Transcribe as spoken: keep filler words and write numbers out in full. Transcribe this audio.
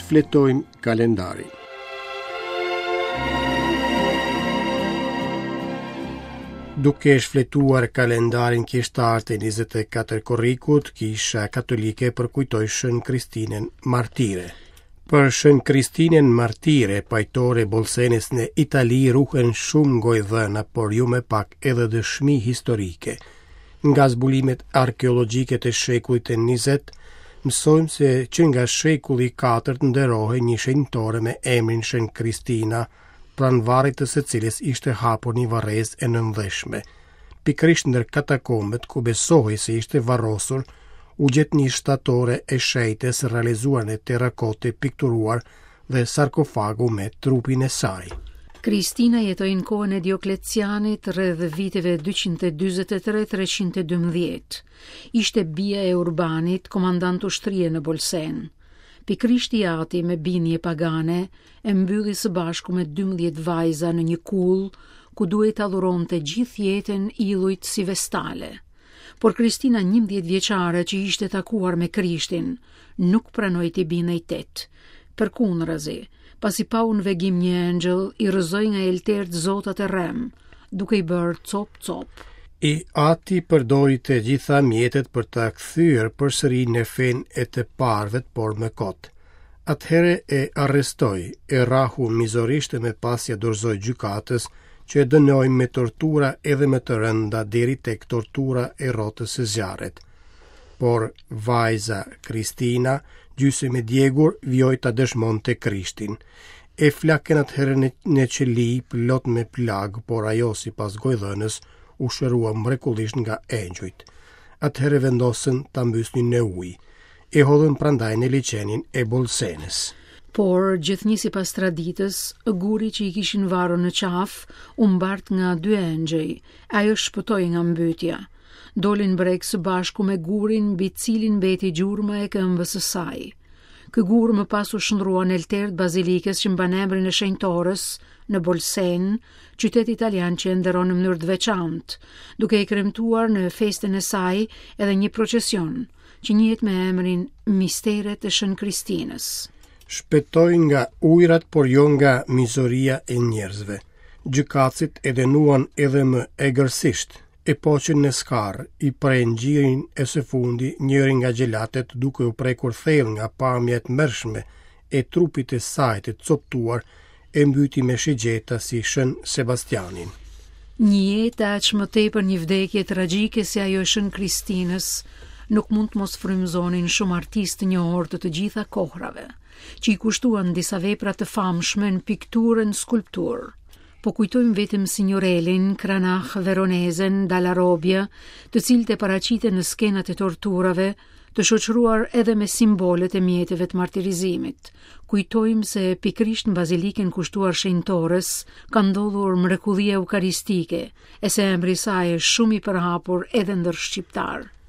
Shfletojmë kalendarin. Duke shfletuar kalendarin kishtar të njëzet e katër korrikut, Kisha Katolike përkujtoi Shën Kristinën Martire. Për Shën Kristinën Martire, pajtore Bolsenës në Itali, ruhen shumë gojëdhëna, por jo më pak edhe dëshmi historike. Nga zbulimet arkeologjike të shekullit të njëzet, mësojmë se që nga shekulli i katërt nderohej një shenjtore me emrin Shën Kristina, pranë varrit të së cilës ishte hapur një varrezë e nëndheshme. Pikërisht ndër katakombet ku besohej se ishte varrosur, u gjet një shtatore e shenjtës realizuar në terrakote pikturuar dhe sarkofagu me trupin e saj. Kristina jetoi në kohën e Dioklecianit rreth viteve dyqind e dyzet e tre treqind e dymbëdhjetë. Ishte bija e Urbanit, komandant ushtrie në Bolsen. Pikërisht i ati me bindje pagane e mbylli së bashku me dymbëdhjetë vajza në një kullë ku duhej ta dhuronte gjithë jetën illujt si vestale. Por Kristina njëmbëdhjetë vjeçare që ishte takuar me Krishtin, nuk pranoi t'i bindej tet. Përkundrazi, pasi pau në vegim një engjëll, i rrëzoi nga eltert zotat e rrem, duke i bërë cop cop. I ati përdori të gjitha mjetet për ta kthyer përsëri në fenë e të parëve, por më kot. Atëherë e arrestoi, e rrahu mizorisht e më pas ia dorëzoi gjykatës, që e dënoi me tortura edhe më të rënda deri tek tortura e rrotës së zjarrit. Por vajza Kristina, gjysmë e djegur, vijoi ta dëshmonte Krishtin. E flakën atëherë në, në qeli plot me plagë, por ajo sipas gojëdhënës u shërua mrekullisht nga engjujt. Atëherë vendosën ta mbysnin në ujë. E hodhën prandaj në liqenin e Bolsenës. Por, gjithnjë sipas traditës, guri që i kishin varur në qafë u mbart nga dy engjëj, ajo shpëtoi nga mbytja. Dolin breg së bashku me gurin mbi cilin mbeti gjurma e këmbës së saj. Ky gur më pas u shndrua në alter të bazilikës që mban emrin e shenjtorës në Bolsen, qytet italian që e nderon në mënyrë të veçantë, duke e kremtuar në festën e saj edhe një procesion që njihet me emrin Misteret e Shën Kristinës. Shpëtoi nga ujrat, por jo nga mizoria e njerëzve. Gjykatësit e dënuan edhe më egërsisht, e poqën në skarë, i prejnë gjirin e së fundi njëri nga xhelatet duke u prekur thellë nga pamja e tmerrshme e trupit të saj të coptuar, e mbyti me shigjeta si Shën Sebastianin. Një jetë aq më tepër një vdekje tragjike si ajo e Shën Kristinës nuk mund të mos frymëzonin shumë artistë të njohur të të gjitha kohrave, që i kushtuan disa vepra të famshme në pikturë e në skulpturë. Po kujtojmë vetëm Signorelin, Cranach, Veronezen, Dalla Robbia, të cilët e paraqiten në skenat e torturave, të shoqëruar edhe me simbolet e mjeteve të martirizimit. Kujtojmë se pikërisht në bazilikën kushtuar shenjtores ka ndodhur mrekullia eukaristike, e se emri i saj është shumë i përhapur edhe ndër shqiptar.